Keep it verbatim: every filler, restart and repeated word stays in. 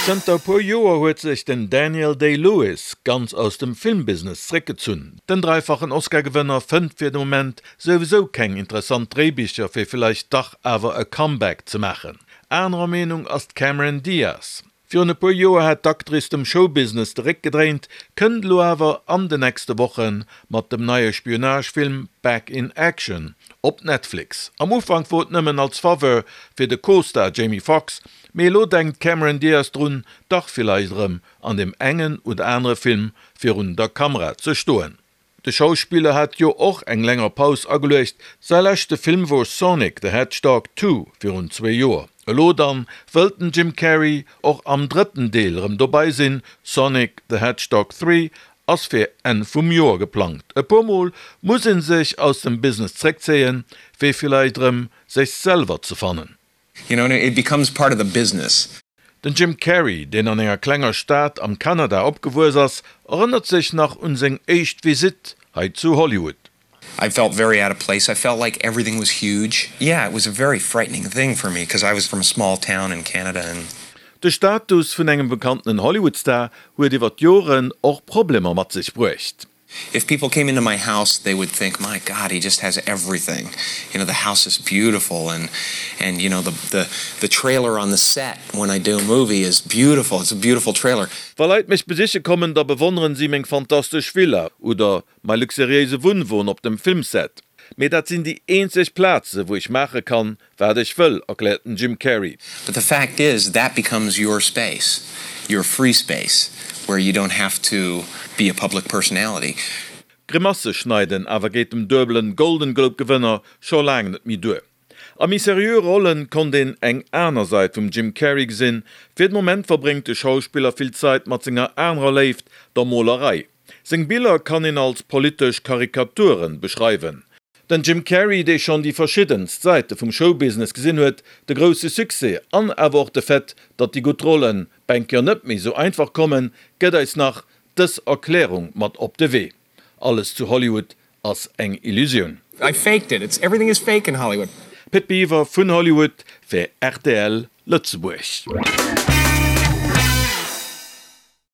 Zënter e puer Joer huet sech den Daniel Day-Lewis ganz aus dem Filmbusiness zréckgezunn. Den dräifachen Oscar-Gewënner fënnt fir de Moment souwisou keng interessant Dréibicher fir villäicht dach awer e Comeback ze maachen. Anerer Meenung ass d'Cameron Diaz. Virun e puer Joer hat d'Actrice dem Showbusiness de Réck gedréint, kënnt elo awer an de nächste Woche mat dem neie Spionagefilm Back in Action op Netflix. Am Ufank wor et nëmmen als Faveur fir de Co-Star Jamie Foxx, mee elo denkt d'Cameron Diaz drun, dach villäicht erëm an deem engen oder anere Film virun der Kamera ze stoen. De Schauspiller hat jo och eng länger Paus ageluecht, säi leschte Film wor Sonic the Hedgehog Two virun zwee Joer. Elo dann wëllt den Jim Carrey och am drëtten Deel erëm dobäi sinn, Sonic the Hedgehog Three ass fir Enn vum Joer geplangt. E puer Mol muss ee sech aus dem Business zréckzéien, fir villäicht erëm sech selwer ze fannen. You know, it becomes part of the business. Den Jim Carrey, deen an enger klenger Stad am Kanada opgewuess ass, erënnert sech nach un seng éischt Visitt hei zu Hollywood. I felt very out of place. I felt like everything was huge. Yeah, it was a very frightening thing for me because I was from a small town in Canada and. De Status vun engem bekannten Hollywood-Star huet iwwer d'Joren och Problemer mat sech bruecht. If people came into my house, they would think, my God, he just has everything. You know, the house is beautiful and, and you know, the, the, the trailer on the set when I do a movie is beautiful. It's a beautiful trailer. Wa Leit mech besiche kommen, da bewonneren si meng fantastesch Villa oder mäi luxuriéise Wunnwon op dem Filmset. Mee dat sinn déi eenzeg Plaze wou ech maache kann, wat ech wëll, erkläert den Jim Carrey. But the fact is, that becomes your space, your free space, where you don't have to be a public personality. Grimasse schneiden awer geet dem duebelen Golden Globe Gewënner scho laang net méi duer. A méi seriö Rollen konnt een eng aner Säit vum Jim Carrey gesinn. Fir de Moment verbréngt de Schauspiller vill Zäit mat senger anerer Léift, der Molerei. Seng Biller kann een als politesch Karikaturen beschreiwen. Den Jim Carrey, dee schonn déi verschiddenst Säite vum Showbusiness gesinn huet, de grousse Succès an awer och de Fait, datt déi gutt Rollen bänker net méi sou einfach kommen, gëtt eis nach dës Erklärung mat op de Wee, Alles zu Hollywood ass eng Illusioun. I faked it. It's everything is fake in Hollywood. Pit Biwer vun Hollywood fir rtl Lëtzebuerg.